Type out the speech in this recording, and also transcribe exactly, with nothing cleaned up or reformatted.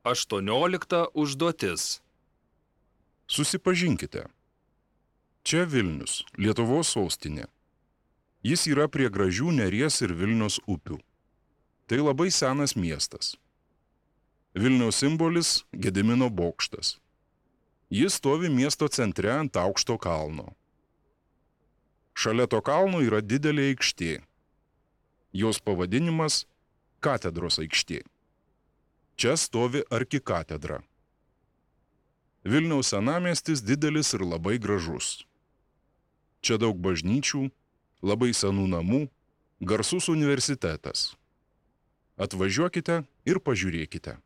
Aštuoniolikta užduotis. Susipažinkite. Čia Vilnius, Lietuvos sostinė. Jis yra prie gražių Neries ir Vilnios upių. Tai labai senas miestas. Vilniaus simbolis – Gedimino bokštas. Jis stovi miesto centre ant aukšto kalno. Šalia to kalno yra didelė aikštė. Jos pavadinimas – Katedros aikštė. Čia stovi arkikatedra. Vilniaus senamiestis didelis ir labai gražus. Čia daug bažnyčių, labai senų namų, garsus universitetas. Atvažiuokite ir pažiūrėkite.